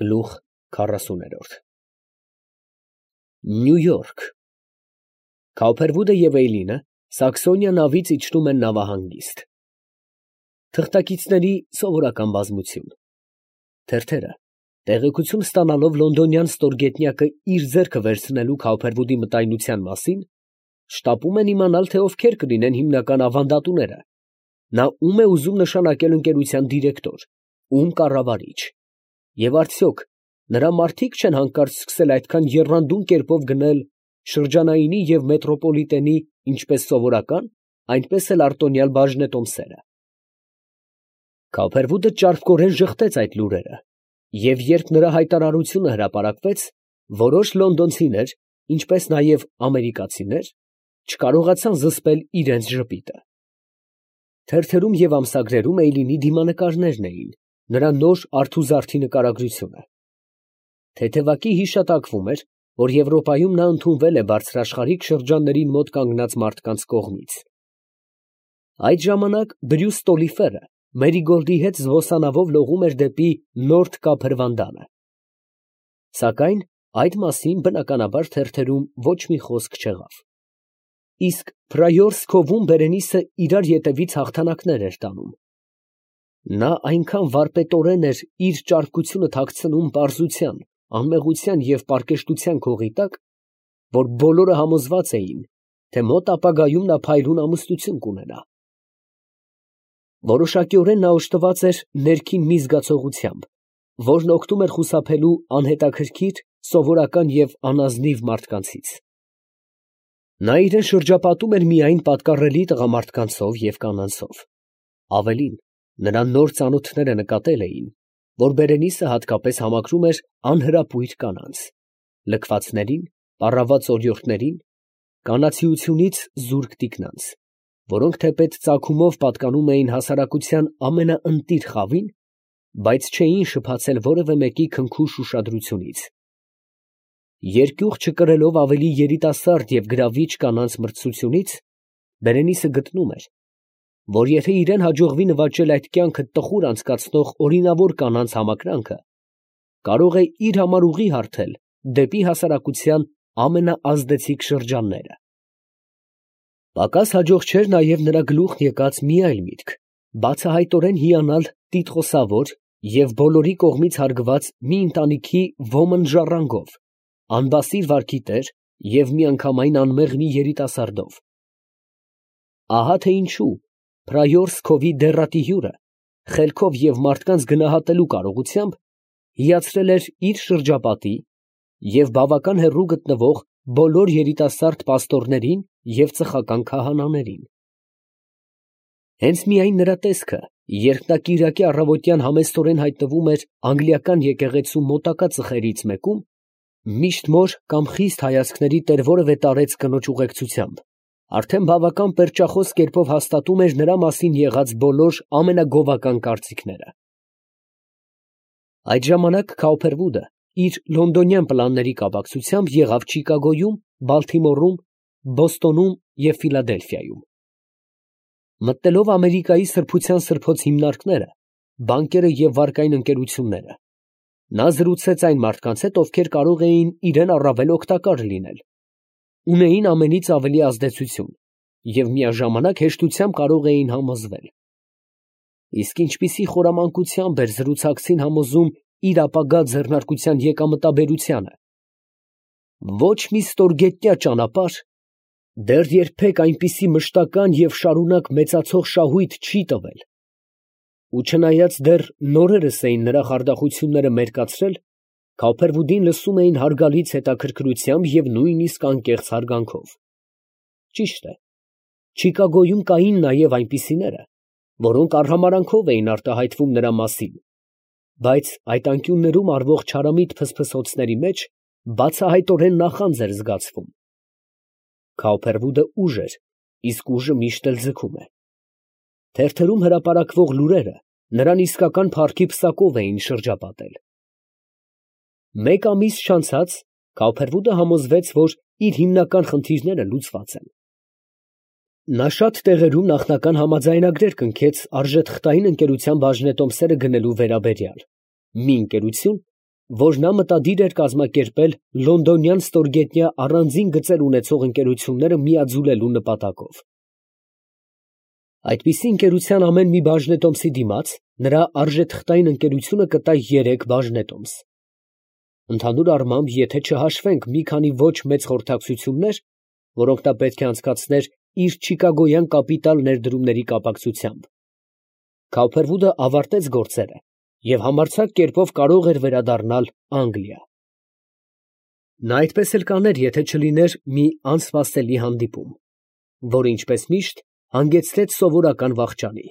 Գլուխ 40 Նյու Յորք Քաուփերվուդը և Էյլինը Սաքսոնիա նավից իջնում են նավահանգիստ։ Թղթակիցների սովորական բազմություն։ Թերթերը, տեղեկություն ստանալով լոնդոնյան ստորգետնյակը իր ձեռքը վերցնելու Քաուփերվուդի մտայնության մասին, շտապում են իմանալ, թե ովքեր կլինեն հիմնական ավանդատուները, նա ում է ուզում նշանակել ընկերության դիրեկտոր, ում կառավարիչ, և արդյոք նրա մարդիկ չեն հանկարծ սկսել այդքան եռանդուն կերպով գնել շրջանայինի և մետրոպոլիտենի ինչպես սովորական, այնպես էլ արտոնյալ բաժնետոմսերը։ Քաուփերվուդը ճարպկորեն ժխտեց այդ լուրերը, և երբ նրա հայտարարությունը հրապարակվեց, որոշ լոնդոնցիներ, ինչպես նաև ամերիկացիներ, չկարողացան զսպել իրենց ժպիտը։ Թերթերում և ամսագրերում Էյլինի դիմանկարներն էին, նրա նոր արթուզարդի նկարագրությունը։ Թեթևակի հիշատակվում էր, որ Եվրոպայում նա ընդունվել է բարձրաշխարհիկ շրջաններին մոտ կանգնած մարդկանց կողմից։ Այդ ժամանակ Բրյուս Ստոլիֆերը Մերիգոլդի հետ զբոսանավով լողում էր դեպի Նորթ Կափրվանդանը։ Սակայն այդ մասին բնականաբար թերթերում ոչ մի խոսք չեղավ։ Իսկ Փրայորս Քովում Բերենիսը իրար ետևից հաղթանակներ էր տանում։ Նա այնքան վարպետորեն էր իր ճարպկությունը թաքցնում պարզության, անմեղության և պարկեշտության քողի տակ, որ բոլորը համոզված էին, թե մոտ ապագայում նա փայլուն ամուսնություն կունենա։ Որոշակիորեն նա օժտված էր ներքին մի զգացողությամբ, որն օգնում էր խուսափելու անհետաքրքիր, սովորական և անազնիվ մարդկանցից։ Նա իրան շրջապատում էր միայն պատկառելի տղամարդկանցով և կանանցով։ Ավելին, նրան նոր ծանոթները նկատել էին, որ Բերենիսը հատկապես համակրում էր անհրապույր կանանց, լքվածներին, պառաված օրիորդներին, կանացիությունից զուրկ տիկնանց, որոնք թեպետ ծագումով պատկանում էին հասարակության ամենաընտիր խավին, բայց չէին շփացել որևէ մեկի քնքուշ ուշադրությունից։ Երկյուղ չկրելով ավելի երիտասարդ և գրավիչ կանանց մրցությունից, Բերենիսը գտնում էր, որ եթե իրան հաջողվի նվաճել այդ կյանքը տխուր անցկացնող օրինավոր կանանց համակրանքը, կարող է իր համար ուղի հարթել դեպի հասարակության ամենաազդեցիկ շրջանները։ Պակաս հաջող չէր նաև նրա գլուխն եկած մի այլ միտք, բացահայտորեն հիանալ տիտղոսավոր և բոլորի կողմից հարգված մի ընտանիքի ոմն ժառանգով, անբասիր վարքի տեր և միանգամայն անմեղ մի երիտասարդով։ Ահա թե ինչու Փրայորս Քովի դեռատի հյուրը, խելքով և մարդկանց գնահատելու կարողությամբ, հիացրել էր իր շրջապատի և բավական հեռու գտնվող բոլոր երիտասարդ պաստորներին և ծխական քահանաներին։ Հենց միայն նրա տեսքը, երբ նա կիրակի առավոտյան համեստորեն հայտնվում էր անգլիական եկեղեցու մոտակա ծխերից մեկում, միշտ մոր կամ խիստ հայացքների տեր որևէ տարեց կնոջ ուղեկցությամբ, արդեն բավական պերճախոս կերպով հաստատում էր նրա մասին եղած բոլոր ամենագովական կարծիքները։ Այդ ժամանակ Քաուփերվուդը իր լոնդոնյան պլանների կապակցությամբ եղավ Չիկագոյում, Բալթիմորում, Բոստոնում և Ֆիլադելֆիայում։ Մտնելով Ամերիկայի սրբության սրբոց հիմնարկները, բանկերը և վարկային ընկերությունները, նա զրուցեց այն մարդկանց հետ, ովքեր կարող էին իրան առավել օգտակար լինել, ունեին ամենից ավելի ազդեցություն և միաժամանակ հեշտությամբ կարող էին համոզվել։ Իսկ ինչպիսի խորամանկությամբ էր զրուցակցին համոզում իր ապագա ձեռնարկության եկամտաբերությանը։ Ոչ մի ստորգետնյա ճանապարհ դեռ երբեք այնպիսի մշտական և շարունակ մեծացող շահույթ չի տվել։ Ու չնայած դեռ նորերս էին նրա խարդախությունները մերկացրել, Քաուփերվուդին լսում էին հարգալից հետաքրքրությամբ և նույնիսկ անկեղծ հարգանքով։ Ճիշտ է, Չիկագոյում կային նաև այնպիսիները, որոնք արհամարհանքով էին արտահայտվում նրա մասին, բայց այդ անկյուններում արվող չարամիտ փսփսոցների մեջ բացահայտորեն նախանձ էր զգացվում։ Քաուփերվուդը ուժ էր, իսկ ուժը միշտ էլ ձգում է։ Թերթերում հրապարակվող լուրերը նրան իսկական փառքի պսակով էին շրջապատել։ Մեկ ամիս չանցած Քաուփերվուդը համոզվեց, որ իր հիմնական խնդիրները լուծված են։ Նա շատ տեղերում նախնական համաձայնագրեր կնքեց արժեթղթային ընկերության բաժնետոմսերը գնելու վերաբերյալ, մի ընկերություն, որ նա մտադիր էր կազմակերպել լոնդոնյան ստորգետնյա առանձին գծեր ունեցող ընկերությունները միաձուլելու նպատակով։ Այդպիսի ընկերության ամեն մի բաժնետոմսի դիմաց նրա արժեթղթային ընկերությունը կտա 3 բաժնետոմս։ Ընդհանուր առմամբ, եթե չհաշվենք մի քանի ոչ մեծ խորհրդակցություններ, որոնք նա պետք է անցկացներ իր չիկագոյան կապիտալ ներդրումների կապակցությամբ, Քաուփերվուդը ավարտեց գործերը և համարձակ կերպով կարող էր վերադառնալ Անգլիա։ Նա այդպես էլ կաներ, եթե չլիներ մի անսպասելի հանդիպում, որը, ինչպես միշտ, հանգեցրեց սովորական վախճանի։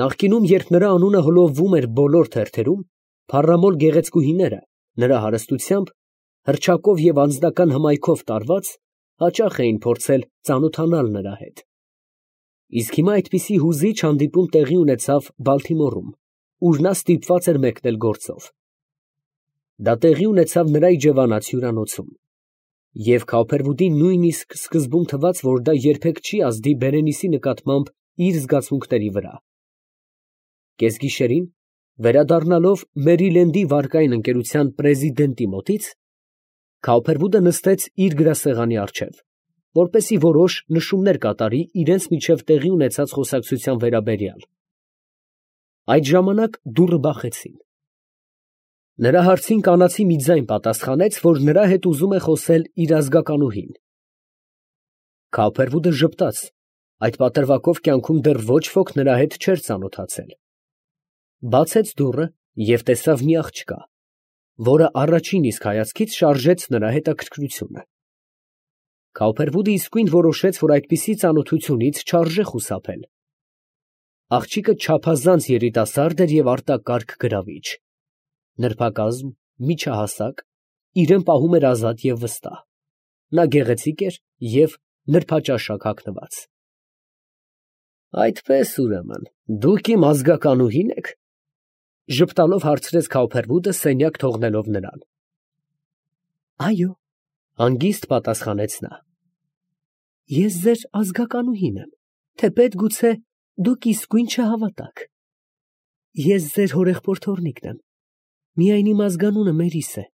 Նախկինում, երբ նրա անունը հոլովվում էր բոլոր թերթերում, փառամոլ գեղեցկուհիները, նրա հարստությամբ, հռչակով և անձնական հմայքով տարված, հաճախ էին փորձել ծանոթանալ նրա հետ։ Իսկ հիմա այդպիսի հուզիչ հանդիպում տեղի ունեցավ Բալթիմորում, ուր նա ստիպված էր մեկնել գործով։ Դա տեղի ունեցավ նրա իջևանած հյուրանոցում, և Քաուփերվուդին նույնիսկ սկզբում թվաց, որ դա երբեք չի ազդի Բերենիսի նկատմամբ իր զգացմունքների վրա։ Կեսգիշերին, վերադառնալով Մերիլենդի վարկային ընկերության պրեզիդենտի մոտից, Քաուփերվուդը նստեց իր գրասեղանի առջև, որպեսզի որոշ նշումներ կատարի իրենց միջև տեղի ունեցած խոսակցության վերաբերյալ։ Այդ ժամանակ դուռը բախեցին։ Նրա հարցին կանացի մի ձայն պատասխանեց, որ նրա հետ ուզում է խոսել իր ազգականուհին։ Քաուփերվուդը ժպտաց, այդ պատրվակով կյանքում դեռ ոչ ոք նրա հետ չէր ծանոթացել։ Բացեց դուռը և տեսավ մի աղջկա, որը առաջին իսկ հայացքից շարժեց նրա հետաքրքրությունը։ Քաուփերվուդը իսկույն որոշեց, որ այդպիսի ծանոթությունից չարժե խուսափել։ Աղջիկը չափազանց երիտասարդ էր և արտակարգ գրավիչ, նրբակազմ, միջահասակ, իրեն պահում էր ազատ և վստահ։ Նա գեղեցիկ էր և նրբաճաշակ հագնված։ Այդպես, ուրեմն, դուք իմ ազգականուհի՞ն եք, ֊ ժպտալով հարցրեց Քաուփերվուդը, սենյակ թողնելով նրան։ Այո, ֊ հանգիստ պատասխանեց նա։ Ես ձեր ազգականուհին եմ, թեպետ գուցե դուք իսկույն չհավատաք։ Ես ձեր հորեղբորդ եմ, միայն իմ ազգանունը Մերիս է,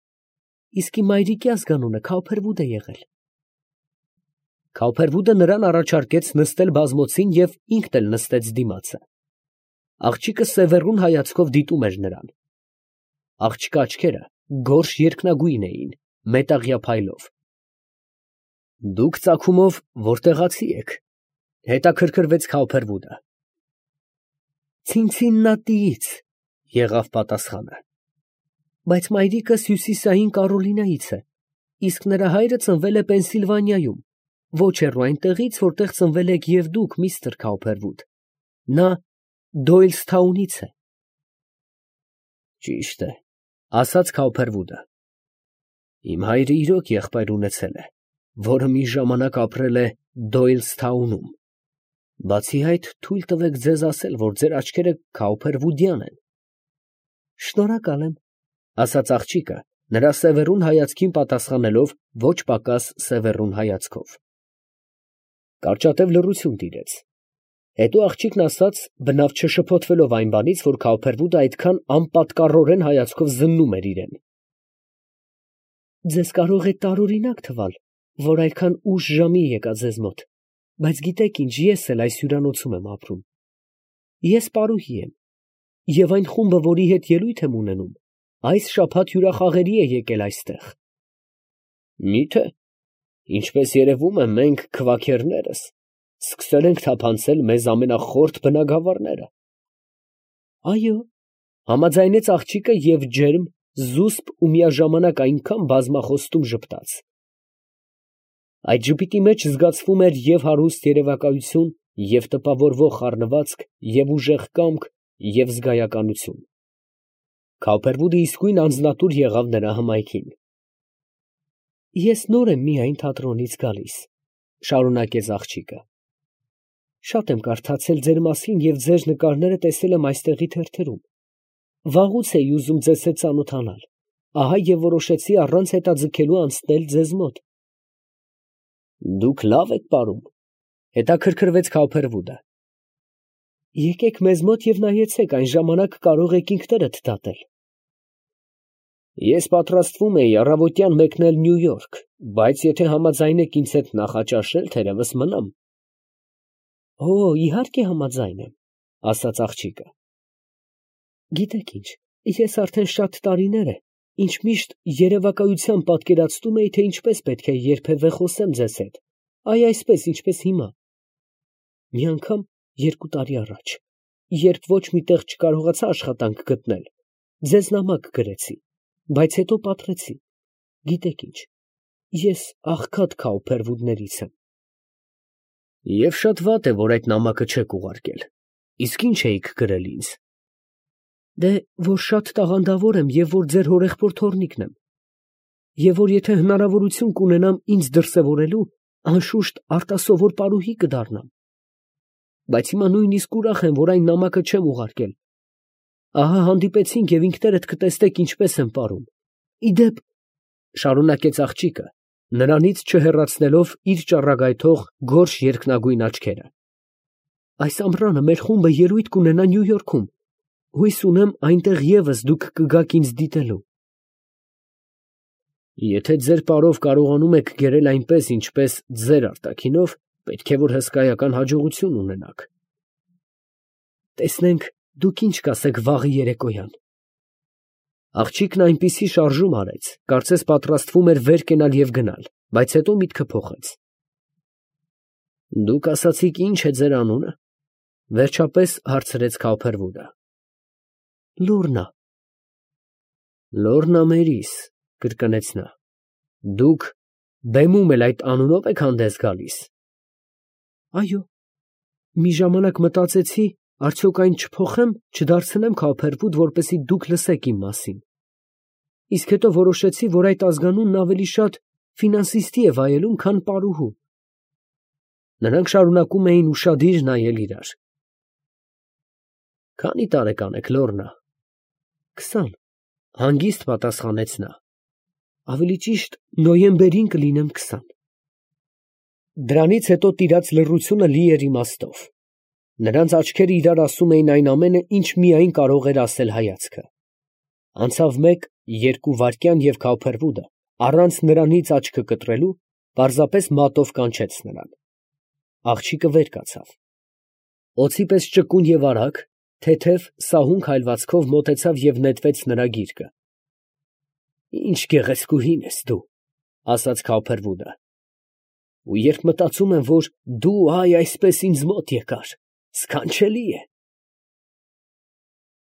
իսկ իմ մայրիկի ազգանունը Քաուփերվուդ է եղել։ Քաուփերվուդը նրան առաջարկեց նստել բազմոցին և ինքն էլ նստեց դիմացը։ Աղջիկը սևեռուն հայացքով դիտում էր նրան։ Աղջկա աչքերը գորշ երկնագույն էին, մետաղյա փայլով։ Դուք ծագումով որտեղացի եք, ֊ հետաքրքրվեց Քաուփերվուդը։ Ցինցիննատիից, ֊ եղավ պատասխանը։ Բայց մայրիկս Հյուսիսային Կարոլինայից է, իսկ նրա հայրը ծնվել է Պենսիլվանիայում, ոչ հեռու այնտեղից, որտեղ ծնվել եք և դուք, միստր Քաուփերվուդ։ Նա Դոյլսթաունից է։ Ճիշտ է, ֊ ասաց Քաուփերվուդը։ Իմ հայրը իրոք եղբայր ունեցել է, որը մի ժամանակ ապրել է Դոյլսթաունում։ Բացի այդ, թույլ տվեք ձեզ ասել, որ ձեր աչքերը քաուփերվուդյան են։ Շնորհակալ եմ, ֊ ասաց աղջիկը, նրա սևեռուն հայացքին պատասխանելով ոչ պակաս սևեռուն հայացքով։ Կարճատև լռություն տիրեց։ Հետո աղջիկն ասաց, բնավ չշփոթվելով այն բանից, որ Քաուփերվուդը այդքան անպատկառորեն հայացքով զննում էր իրեն։ Ձեզ կարող է տարօրինակ թվալ, որ այդքան ուշ ժամի եկա ձեզ մոտ, բայց գիտեք ինչ, ես էլ այս հյուրանոցում եմ ապրում։ Ես պարուհի եմ, և այն խումբը, որի հետ ելույթ եմ ունենում, այս շաբաթ հյուրախաղերի է եկել այստեղ։ Մի՞թե, ինչպես երևում է, մենք քվաքերներս սկսել ենք թափանցել մեզ ամենախորթ բնագավառները։ Այո, ֊ համաձայնեց աղջիկը և ջերմ, զուսպ ու միաժամանակ այնքան բազմախոստում ժպտաց։ Այդ ժպիտի մեջ զգացվում էր և հարուստ երևակայություն, և տպավորվող խառնվածք, և ուժեղ կամք, և զգայականություն։ Քաուփերվուդը իսկույն անձնատուր եղավ նրա հմայքին։ Ես նոր եմ միայն թատրոնից գալիս, ֊ շարունակեց աղջիկը։ Շատ եմ կարդացել ձեր մասին և ձեր նկարները տեսել եմ այստեղի թերթերում։ Վաղուց էի ուզում ձեզ հետ ծանոթանալ, ահա և որոշեցի առանց հետաձգելու անցնել ձեզ մոտ։ Դուք լավ եք պարում, ֊ հետաքրքրվեց Քաուփերվուդը։ Եկեք մեզ մոտ և նայեցեք, այն ժամանակ կարող եք ինքներդ դատել։ Ես պատրաստվում էի առավոտյան մեկնել Նյու Յորք, բայց եթե համաձայն եք ինձ հետ նախաճաշել, թերևս մնամ։ Իհարկե համաձայն եմ, ասաց աղջիկը։ Գիտեք ինչ, ես արդեն շատ տարիներ է, ինչ միշտ երևակայությամբ պատկերացնում էի, թե ինչպես պետք է երբևէ խոսեմ ձեզ հետ, այսպես, ինչպես հիմա։ Մի անգամ 2 տարի առաջ, երբ ոչ մի տեղ չկարողացա աշխատանք գտնել, ձեզ նամակ գրեցի, բայց հետո պատռեցի։ Գիտեք ինչ, ես աղքատ Քաուփերվուդներից եմ։ Եվ շատ վատ է, որ այդ նամակը չեք ուղարկել։ Իսկ ինչ էիք գրել ինձ։ Դե, որ շատ տաղանդավոր եմ և որ ձեր հորեղբոր թոռնիկն եմ։ Եվ որ եթե հնարավորություն կունենամ ինձ դրսևորելու, անշուշտ արտասովոր պարուհի կդառնամ։ Բայց հիմա նույնիսկ ուրախ եմ, որ այն նամակը չեմ ուղարկել։ Ահա հանդիպեցինք և ինքներդ կտեսնեք ինչպես եմ պարում։ Իդեպ, շարունակեց աղջիկը, նրանից չհեռացնելով իր ճառագայթող գորշ երկնագույն աչքերը. այս ամռանը մեր խումբը ելույթ կունենա Նյու Յորքում, հույս ունեմ այնտեղ ևս դուք կգաք ինձ դիտելու։ Եթե ձեր պարով կարողանում եք գերել այնպես, ինչպես ձեր արտաքինով, պետք է որ հսկայական հաջողություն ունենաք։ Տեսնենք, դուք ինչ կասեք վաղը երեկոյան։ Աղջիկն այնպիսի շարժում արեց, կարծես պատրաստվում էր վեր կենալ և գնալ, բայց հետո միտքը փոխեց։ Դուք ասացիք ինչ է ձեր անունը, վերջապես հարցրեց Քաուփերվուդը։ Լոռնա։ Լոռնա Մերիս, կրկնեց նա։ Դուք բեմում էլ այդ անունով եք հանդես գալիս։ Այո։ Մի ժամանակ մտածեցի, արդյոք այն չփոխեմ, չդարձնեմ Քաուփերվուդ, որպեսզի դուք լսեք իմ մասին։ Իսկ հետո որոշեցի, որ այդ ազգանունն ավելի շատ ֆինանսիստի է վայելում, քան պարուհու։ Նրանք շարունակում էին ուշադիր նայել իրար։ Քանի տարեկան եք, Լոռնա։ 20, հանգիստ պատասխանեց նա։ Ավելի ճիշտ, նոյեմբերին կլինեմ 20։ Դրանից հետո տիրած լռությունը լի էր իմաստով։ Նրանց աչքերը իրար ասում էին այն ամենը, ինչ միայն կարող էր ասել հայացքը։ Անցավ 1-2 վայրկյան և Քաուփերվուդը, առանց նրանից աչքը կտրելու, պարզապես մատով կանչեց նրան։ Աղջիկը վեր կացավ։ Օձի պես ճկուն և արագ, թեթև, սահուն քայլվածքով մոտեցավ և նետվեց նրա գիրկը։ Ինչ գեղեցկուհին ես դու, ասաց Քաուփերվուդը։ Ու երբ մտածում եմ, որ դու այսպես ինձ մոտ եկար, սքանչելի է։